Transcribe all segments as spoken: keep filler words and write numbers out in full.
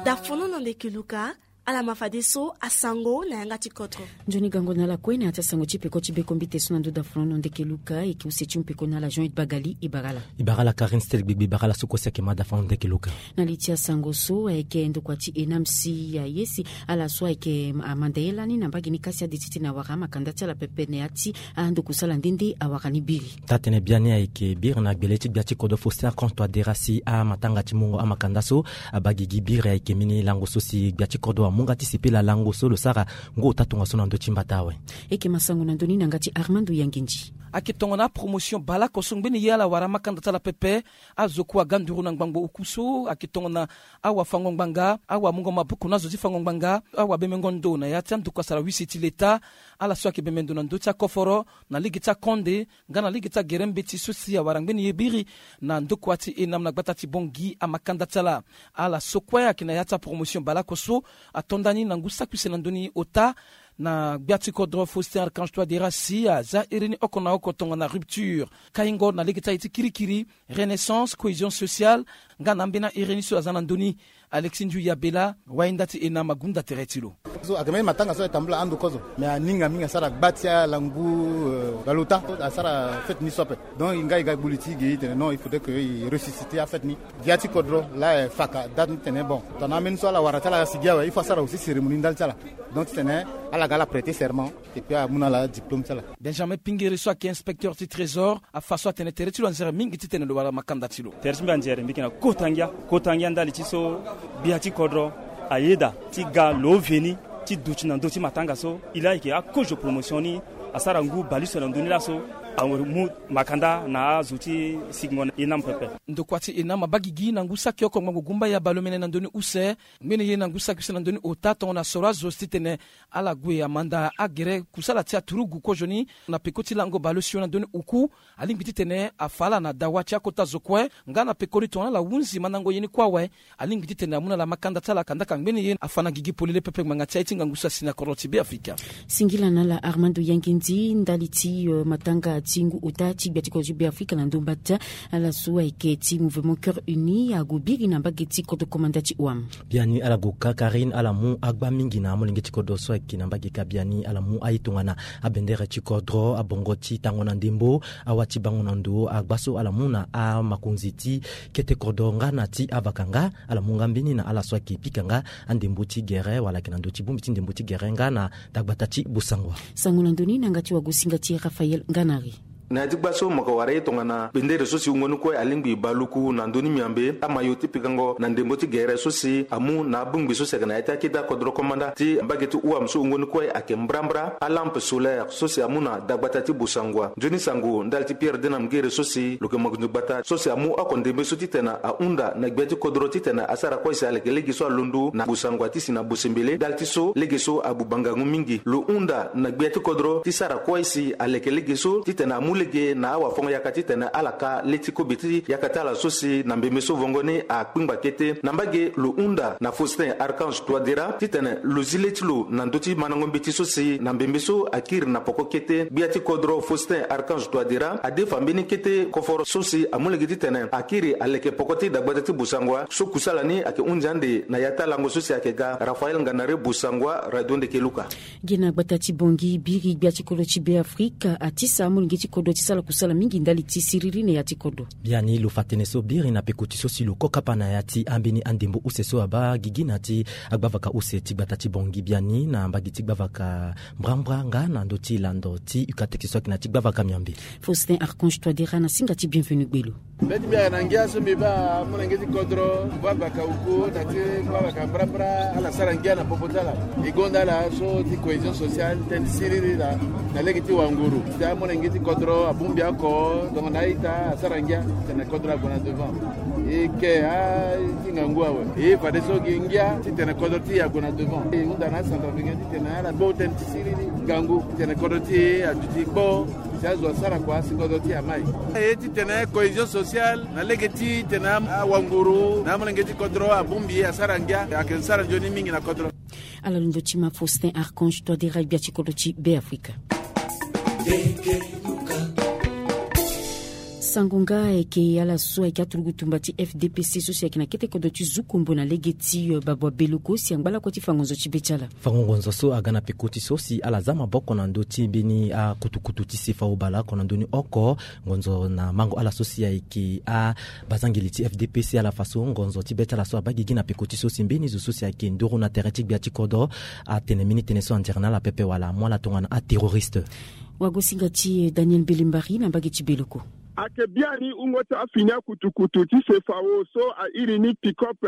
Dafono na ndeke luka. Ala ma fadeso asango na yanga ti kodro. Nzoni gango na ala kue na ya ti asango ti peko ti bekombite so na ndo dafono na ndeke luka eke use ti mpeko na ala Jean Bagali. Ibagala. Ibagala Karine Stel Gbegbe, ibagala so kue si ayeke ma dafono ndeke luka. Na li ti asango so ayeke ndokua ti enam si aye si ala so ayeke amanda ye lani na mbage ni kasi ade titene awara amakanda ti ala pepe na ya ti andokusala nde nde awara ni biri. Taa-tene biani ayeke biri na gbele ti gbia ti kodro Faustin Archange Touadéra si amatanga ti mungo amakanda so abaa gigi biri ayeke mbeni lango so si gbia ti kodro amu nga ti sepela lango so lo sara ngu ota tongaso na ndö ti mbata awe. Eke masango na ndö ni na nga ti Armando Yangendi. Ayeke tongana apromotion baleoko so ngbeni ye ala wara amakanda ti ala pepe. Azo kue aga nduru na ngbangbo oku so ayeke tongana awafango-ngbanga, awamungo-maboko na azo ti fango-ngbanga, awabemengo ndo na ya ti andoku asara wisi ti leta. Ala so ayeke bembe ndo na ndö ti akoforo, na lege ti akonde nga na lege ti agere mbeti so si awara ngbeni ye biri na ndokua ti enam na gbata ti Bangui amakanda ti ala. Ala so kue ayeke na ya ti apromotion baleoko so ato nda ni na ngu saki use na ndö ni ota na gbia ti kodro Faustin Archange Touadéra si aza iri ni oko na oko tongana rupture, kaingo na lege ti aye ti kirikiri, renaissance, cohésion sociale, nga na ambeni airi ni so aza na ndö ni. Alexis Ndiou Yabela, wainda ti enam, agunda tere ti lo. So ayeke mbeni matanga so atambula ando kozo, mais aninga mingi asara gba ti ala ngu, euh, baleota asara fête ni so ape. Donc e nga e ga e gbu li ti e ge e tene non, il faudrait que e ressusciter afête ni. Gbia ti kodro laa e faka date ni tene bon, tongana ambeni so ala wara ti ala sigi awe, il faut asara aussi cérémonie ndali ti ala. Donc titene ala ga ala prêter serment et puis amu na ala diplôme ti ala. Benjamin Pingere so ayeke inspecteur ti trésor afa so atene tere ti lo anzere mingi titene lo wara makanda ti lo. Tere ti mbi anzere mbi yeke na kota ngia, kota ngia ndali ti so gbia ti kodro ayeda ti ga lo veni ti duti na ndö ti matanga so. E laa e yeke akozo promotion ni asara ngu baleuse na ndö ni laso amu makanda na azo ti sigingo na enam pepe. Ndokua ti enam abaa gigi na ngu saki oko ngbangbo gumba ya baleomene na ndö ni use. Ngbene ye na ngu saki use na ndö ni ota tongana soro azo titene ala gue amanda agere kusala ti aturugu kozoni na peko ti lango baleosio na ndö ni oku. Alingbi titene afa ala na dawa ti akota zo kue nga na pekoni tongana ala hunzi mandango ye ni kue awe. Alingbi titene amu na ala makanda ti ala kandaka ngbene ye afa na gigi polele pepe ngbanga ti aye ti ngangu so asi na kodro ti Beafrika. Singila na ala Armando Yangendi ndali ti, euh, matanga ti ngu ota ti gbia ti kodro ti Beafrika na ndo mbata. Ala so ayeke ti Mouvement Cœur Uni ague biri na mbage ti kodro komanda ti O A M. Biani ala gue ka Karine, ala mu agba mingi na amolenge ti kodro so ayeke na mbage ka. Biani ala mu aye tongana abendere ti kodro, abongo ti tango na ndembo, awa ti bango na ndo, agba so ala mu na amakonzi ti kete kodro nga na ti avaka nga. Ala mu nga mbeni na ala so ayeke pika nga andembo ti gere wala ayeke na ndö ti bongbi ti ndembo ti gere nga na dagbata ti Bosangwa. Sango na ndö ni na yanga ti wagosinga ti Raphaël Nganari. Na ya ti gba so mo yeke wara ye tongana bendere so si wungo ni kue alingbi baluku na ndö ni miambe, amayo ti pikango na ndembo ti gere so si amu na abongbi so si ayeke na ya ti akete akodro komanda ti mbage ti O A M so wungo ni kue ayeke mbrambra, alampe solaire so si amu na dagbata ti Bosangwa. Nzoni sango ndali ti Pierre Dena Mungere so si lo yeke mokonzi gbata so si amu oko ndembe so titene ahunda na gbia ti kodro titene asara kue si aleke lege so alondo na Bosangwa ti si na Bosembele. Ndali ti so lege so abuba ngangu mingi. Lo hunda na gbia ti kodro ti sara kue si aleke lege so titene amu lege na awafango yaka titene ala ka le ti kobe ti yaka ti ala so si na mbembe so vongo ni akpingba kete. Na mbage lo hunda na Faustin Archange Touadéra titene lo zi le ti lo na ndö ti mandango mbeti so si na mbembe so akiri na poko kete. Gbia ti kodro Faustin Archange Touadéra adefa mbeni kete koforo so si amu lege titene akiri aleke poko ti dagbata ti Bosangwa so kusala ni ayeke hunzi ande na ya ti alango so si ayeke ga. Raphaël Nganari, Bosangwa, Radio Ndeke Luka. Gi na gbata ti Bangui, biri gbia ti kodro ti Beafrika atisa amolenge ti kodro ti sala kusala mingi ndali ti siriri na ya ti kodro. Biani lo fa tënë so biri na peko ti so si lo ko kapa na ya ti ambeni andembo use so abaa gigi na ya ti agbavaka use ti gbata ti Bangui biani na mbage ti gbavaka mbrambra nga na ndö ti lando ti Ucatec so ayeke na ya ti gbavaka miambe. Faustin Archange Touadéra na singa ti Bienvenu Gbelo. Mbeti mbi ayeke na ngia so mbi baa amolenge ti kodro, gbavaka oku na ti gbavaka mbrambra, ala sara ngia na popo ti ala. E gonda ala so ti cohésion sociale, tënë ti siriri laa na lege ti wanguru. Ti amolenge ti kodro abongbi oko, donc na a-ita asara ngia titene kodro ague na devant. E ke a ti ngangu awe. E fadeso gi ngia titene kodro ti e ague na devant. E hunda na acentrafricain titene ala gbo tënë ti siriri ngangu titene kodro ti e aduti kpo. Si azo asara kua si kodro ti e amai. Aye titene cohésion sociale na lege titene am-, awanguru na amolenge ti kodro abongbi asara ngia, ayeke sara nzoni mingi na kodro. Ala londo ti ma Faustin Archange Touadéra gbia ti kodro ti Beafrika. Sango nga ayeke ala so ayeke aturugu tumba ti F D P C so si ayeke na kete kodro ti Zukombo na lege ti babua beloko si angba lakue ti fa ngonzo ti be ti ala. Fango ngonzo so aga na peko ti so si ala za maboko na ndö ti mbeni akutukutu ti sefa obala oko na ndö ni oko. Ngonzo na mango ala so si ayeke abazangeli ti F D P C ala fa so ngonzo ti be ti ala so abaa gigi na peko ti so si mbeni zo so si ayeke nduru na tere ti gbia ti kodro atene mbeni tënë so anzere na ala pepe wala amu ala tongana aterroriste. Wagosinga ti Daniel Mbelembari na mbage ti Beloko. Ayeke biani wungo ti afini akutukutu ti sefao so airi ni pick-up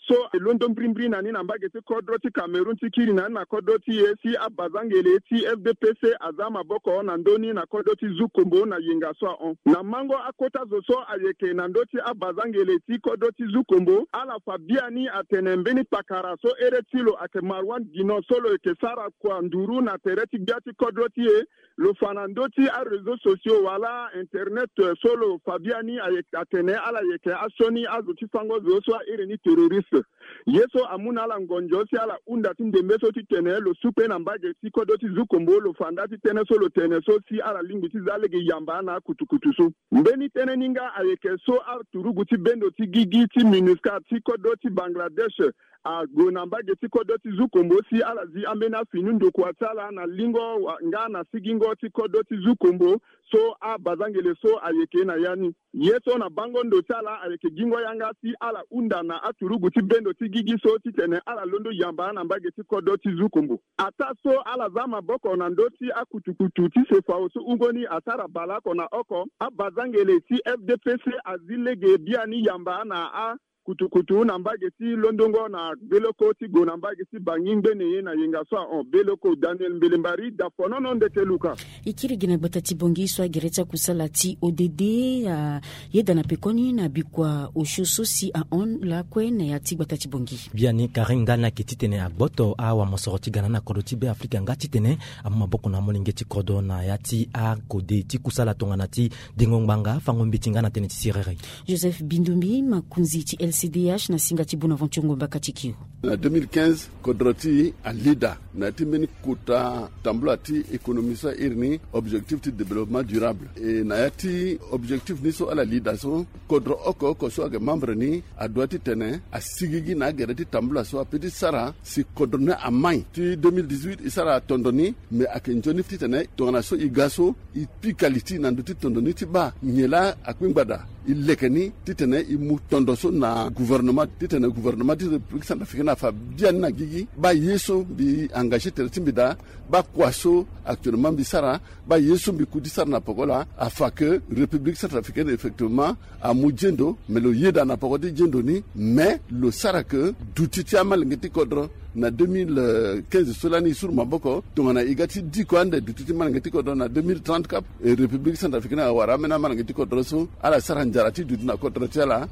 so e londo mbirimbiri na ni na mbage ti kodro ti Cameroun ti kiri na ni na kodro ti e si abazangele ti F D P C aza maboko na ndö ni na kodro ti Zukombo na yenga so ahon. Na mango akota zo so ayeke na ndö ti abazangele ti kodro ti Zukombo, ala fa biani atene mbeni pakara so ere ti lo ayeke Marwan Gino so lo yeke sara kua nduru na tere ti gbia ti kodro ti e, lo fa na ndö ti aréseau sociaux wala internet so lo fa biani ayeke atene ala yeke asioni azo ti fango zo so airi ni terroriste. Ye so amu na ala ngonzo si ala hunda ti ndembe so titene lo su kue na mbage ti kodro ti Zukombo lo fa nda ti tënë so lo tene so si ala lingbi ti za lege yamba na akutukutu so. Mbeni tënë ni nga ayeke so aturugu ti bendo ti gigi ti MINUSCA ti kodro ti Bangladesh ague na mbage ti kodro ti Zukombo si ala zi ambeni afini ndokua ti ala na lingo wa- nga na sigingo ti kodro ti Zukombo so abazangele so ayeke na ya ni. Ye so na bango ndo ti ala ayeke gingo yanga si ala hunda na aturugu ti bendo ti gigi so titene ala londo yamba na mbage ti kodro ti Zukombo. Ataa so ala za maboko na ndö ti akutukutu ti sefao so wungo ni asara baleoko na oko, abazangele ti F D P C azi lege biani yamba na a kutukutu na mbage ti londongo na Beloko ti gue na mbage ti Bangi ngbene ye na yenga so ahon. Beloko, Daniel Mbelembari, Dafonono Ndeke Luka. E kiri gi na gbata ti Bongi so agere ti akusala ti O D D ayeda na pekoni na bikua osio so si ahon lakue na ya ti gbata ti Bongi. Biani Karim nga ni ayeke titene agboto awamosoro ti ga na ni na kodro ti Be Afrika nga titene amu maboko na amolenge ti kodro na ya ti akode ti kusala tongana ti dengo ngbanga, fango mbeti nga na tënë ti siriri. Joseph Bindumbi, makonzi ti L C D H na singa ti Bonaventure Ngomba Katikio. Na deux mille quinze, kodro ti e alida na ya ti mbeni kota tambula ti économie so airi ni objectif ti développement durable. E na ya ti objectif ni so ala lida so, kodro oko oko so ayeke membre ni adoit titene asigigi na agere ti tambula so apeut ti sara si kodro ni amai. Ti deux mille dix-huit e sara atondo ni, me ayeke nzoni titene tongana so e ga so e pika li ti e na ndö ti tondo ni ti baa nyen laa akpingbada e leke ni titene e mu tondo so na gouvernement titene gouvernement ti République Centrafricaine afa biani na gigi. Baa ye so mbi engagé tere ti mbi daa, baa kua so actuellement mbi sara, baa ye so mbi ku ti sara na poko laa, afa ke République Centrafricaine effectivement amu zendo, me lo yeda na poko ti zendo ni, me lo sara ke duti ti amalenge ti kodro na deux mille quinze so lani e suru maboko tongana e ga ti diko ande duti ti malenge ti kodro na deux mille trente cap. E République Centrafricaine awara ambeni amalenge ti kodro so ala sara nzara ti duti na kodro ti ala.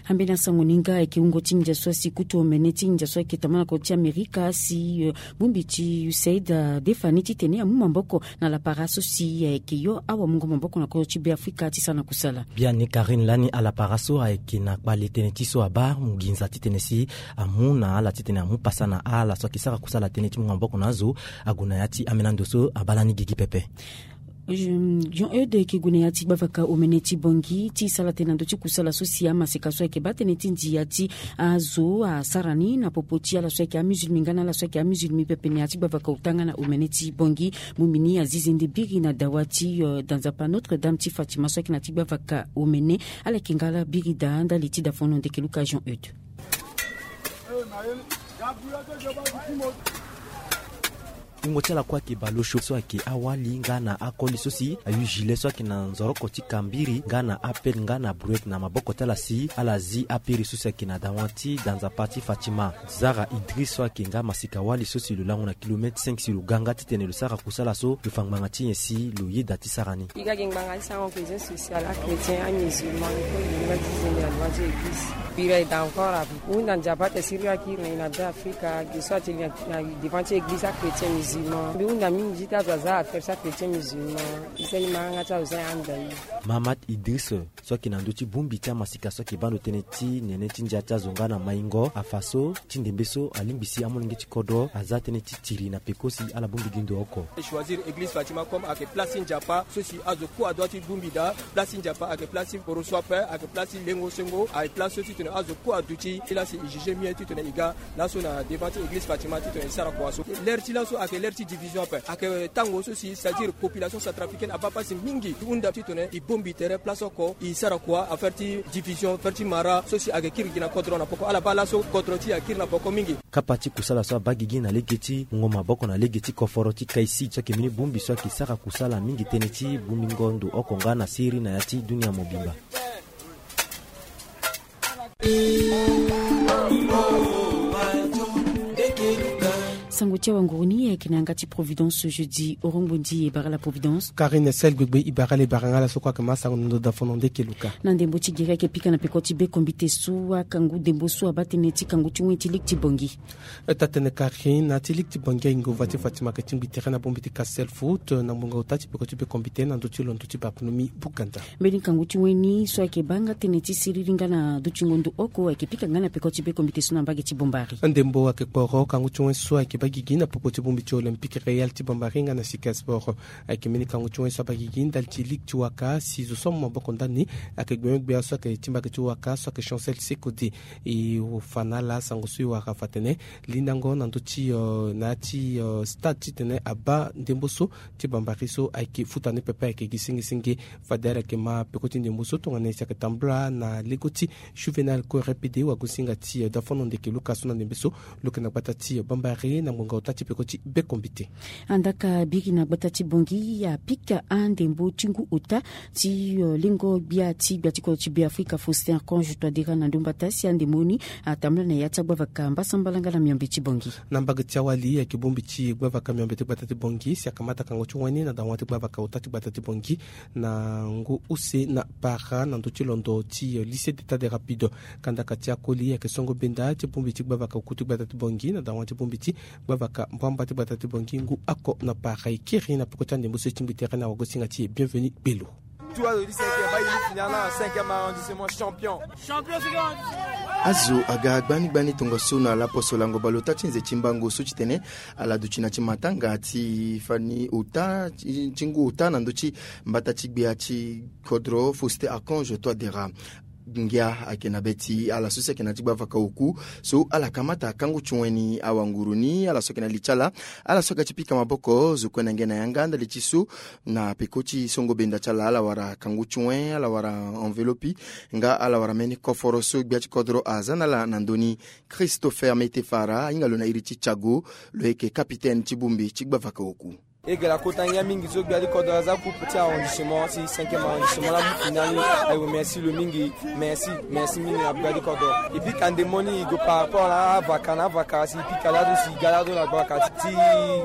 Ambeni asango ni nga ayeke wungo ti ndia so asi kutu omene ti ndia so ayeke tambana na kodro ti Amerika si, eh, bongbi ti USAID adefa ni titene amu maboko na lapara so si ayeke yo awamungo maboko na kodro ti Be Afrika ti sara na kusala. Biani Karine lani alapara so ayeke na kpale tënë ti so abaa nginza titene si amu na ala titene amu pasa na ala so ayeke sara kusala tënë ti mu maboko na azo ague na ya ti ambeni ando so abaa lani gigi pepe. Jean Eude ayeke gue na ya ti gbavaka omene ti Bongi ti sara tënë na ndö ti kusala so si amaseka so ayeke baa tënë ti ndia ti azo asara ni na popo ti ala so ayeke amusulmi nga na ala so ayeke amusulmi pepe na ya ti gbavaka ota nga na omene ti Bongi. Bongbi ni azizi nde biri na dawa ti, eh, danzapa Notre Dame ti Fatima so ayeke na ti gbavaka omene. Ala yeke nga ala biri daa ndali ti dafono ndeke luka Jean Eude. Wungo ti ala kue ayeke bale osio so ayeke awali nga na akoli so si ayu gilet so ayeke na nzoroko ti kambiri nga na apele nga na brouette na maboko ti ala si ala zi apiri so si ayeke na dawa ti danzapa ti Fatima. Zara Idris so ayeke nga masika wali so si lo lango na kilomètre cinq si lo ga nga titene lo sara kusala so lo fa ngbanga ti nyen si lo yeda ti sara ni. E ga gi ngbanga ti sara cohésion sociale, achrétien, amusulman, e kue e gi ngbanga ti zende na droit ti église. Pire eda encore abi hunda Nzapa ti e siriri akiri na ina be Afrika gi so ati na devant ti église achrétien musulman mbi hunda mingi ti azo aza affaire ti achrétien musulman. Isa ni ma yanga ti azo za e anda ye. Mahamat Idris so ayeke na ndö ti bongbi ti amasika so ayeke baa ndo tënë ti nene ti ndia ti azo nga na maingo afa so ti ndembe so alingbi si amolenge ti kodro aza tënë ti tiri na peko si ala bongbi gi ndo oko. Choisir église Fatima comme ayeke place ti Nzapa so si azo kue adoit ti bongbi daa. Place ti Nzapa ayeke place ti poroso ape, ayeke place ti lengo sengo, ayeke place so titene azo kue aduti ti la si e juger mieux titene e ga laso na devant ti église Fatima titene e sara kua so. L'heure ti laso ayeke l'heure ti division ape, ayeke tango so si c'est-à-dire population centrafricaine abaa pasi mingi. Hunda titene e bongbi tere place oko e sara kua affaire ti division, affaire ti mara so si ayeke kiri gi na kodro na poko. Ala baa laso kodro ti e akiri na poko mingi. Kapa ti kusala so abaa gigi na lege ti mungo maboko na lege ti koforo ti Kaisi so ayeke mbeni bongbi so ayeke sara kusala mingi tënë ti bongbingo ndo oko nga na siriri na ya ti dunia mobimba. Sango ti awanguru ni ayeke na yanga ti Providence jeudi. Orongbonzi e bara la Providence. Karine Sel Gbegbe e bara la e bara nga laso kue ayeke ma sango na ndo dafono ndeke luka. Na ndembo ti gere ayeke pika na peko ti be kombite so akangu ndembo so abaa tënë ti kangu ti wen ti ligue ti Bangui. Taa-tënë kari na ya ti ligue ti Bangui ahinga ova ti Fatima ayeke tingbi tere na bongbi ti Castel Foot na ngbonga ota ti peko ti be kombite na ndö ti londo ti Bartholomew Bukanda. Mbeni kangu ti wen ni so ayeke baa nga tënë ti siriri nga na dutingo ndo oko ayeke pika nga na peko ti be kombite so na mbage ti Bombari. Ndembo ayeke kporo kangu ti wen so ayeke baa gigi na popo ti bongbi ti Olympique Real ti Bombari nga na Sika Sport. Ayeke mbeni kangu ti wen so abaa gigi ndali ti ligue ti waka si zo so amu maboko ndani ayeke gbenyo-gbia so ayeke ti mbage ti waka so ayeke Chancel Sekode. E fa na ala sango so e wara fa atene lindango na ndö ti na ya ti stade titene abaa ndembo so ti Bambari so ayeke futa ni pepe ayeke gi senge senge. Fade ala yeke ma peko ti ndembo so tongana nyen si ayeke tambula na lego ti Juvenal Corre Pede wagosinga ti dafono ndeke luka so na ndembe so lo yeke na gbata ti Bambari na ngbonga ota ti peko ti be kombite. Andaka biri na gbata ti Bangui apika andembo ti ngu ota ti lengo gbia ti gbia ti kodro ti Beafrika Faustin Archange Touadéra na ndo mbata si andembo ni atambula na ya ti agbavaka mbasambala nga na miombe ti Bangui. Na mbage ti awali ayeke bongbi ti gbavaka miombe ti gbata ti Bangui si akamata kango ti wen ni na dawa ti gbavaka ota ti gbata ti Bangui na ngu use na para na ndö ti londo ti lycée d'état de rapide. Kandaka ti akoli ayeke songo benda ti bongbi ti gbavaka oku ti gbata ti Bangui na dawa ti bongbi ti gbavaka mbamba ti gbata ti Bangui ngu oko na para e kiri na peko ti andembo so e tingbi tere na wagosinga ti e Bienvenu Gbelo. Tout azo di cinquième, ba yini final na cinquième arrondissement champion. Azo aga gbani gbani tongaso na laposo lango baleota ti nze ti mbango so titene ala duti na ti matanga ti fani ota ti ngu ota na ndö ti mbata ti gbia ti kodro Faustin Archange Touadéra. Ngia ayeke na be ti ala so si ayeke na ti gbavaka oku so ala kamata kangu ti wen ni awanguru ni ala so ayeke na li ti ala. Ala so aga ti pika maboko zo kue na nge na yanga ndali ti so na peko ti songo benda ti ala ala wara kangu ti wen ala wara enveloppe nga ala wara mbeni koforo so gbia ti kodro aza na ala na ndö ni. Christopher Metefara ahinga lo na iri ti Thiago. Lo yeke kapitene ti bongbi ti gbavaka oku. E ga la kota ngia mingi so gbia ti kodro aza coupe ti arrondissement ti cinquième arrondissement la mu final ni. Ayo merci lo mingi. Merci. Merci mingi na gbia ti kodro. E pika ndembo ni e go par rapport na avaka na avaka si e pika lado si e ga lado na gbavaka ti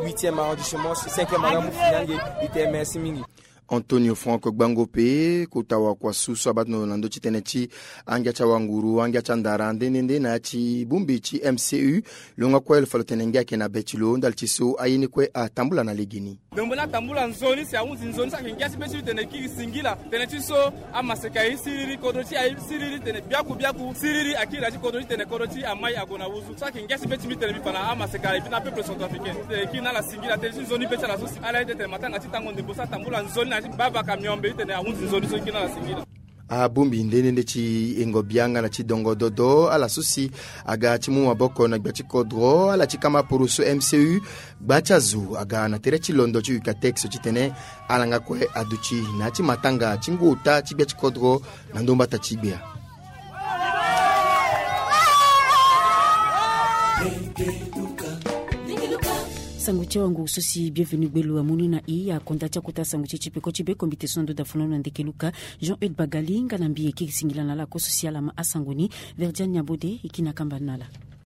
huitième arrondissement si cinquième ala mu final nge. E tene merci mingi. Antonio Franck Gbango pe kota wakuasu so abaa tongana lo na ndö ti tënë ti angia ti awanguru angia ti andara nde nde nde na ya ti bongbi ti M C U. Lo nga kue lo fa lo tene ngia ayeke na be ti lo ndali ti so aye ni kue atambula na legeni. Ndembo ni atambula nzoni si ahunzi nzoni so ayeke ngia ti be ti lo tene e kiri singila tënë ti so amaseka e siriri kodro ti e aye siriri tene biaku biaku siriri akiri na ya ti kodro ti tene kodro ti e amai ague na wuzu so ayeke ngia ti be ti mbi tene mbi fa na amaseka e na peuple centrafricain tene e kiri na ala singila tënë ti nzoni be ti ala so si ala ye tene matanga ti tango ndembo so atambula nzoni na ya ti gbavaka miombe ti tene ahunzi nzoni so e kiri na ala singila. Abongbi nde nde nde ti yengo bianga na ti dongo dodo ala so si aga ti mu maboko na gbia ti kodro ala ti kama poroso M C U. Gba ti azo aga na tere ti londo ti Ucatex titene ala nga kue aduti na ya ti matanga ti ngu ota ti gbia ti kodro na ndo mbata ti gbia. Sango ti awanguru so si Bienvenu Gbelo amu ni na e akonda ti akota sango ti e ti peko ti be kombite so na ndo dafono na ndeke luka. Jean Eude Bagali nga na mbi e kiri singila na ala kue so si ala ma asango ni. Verdiane Niabode e kiri na kamba ni na ala.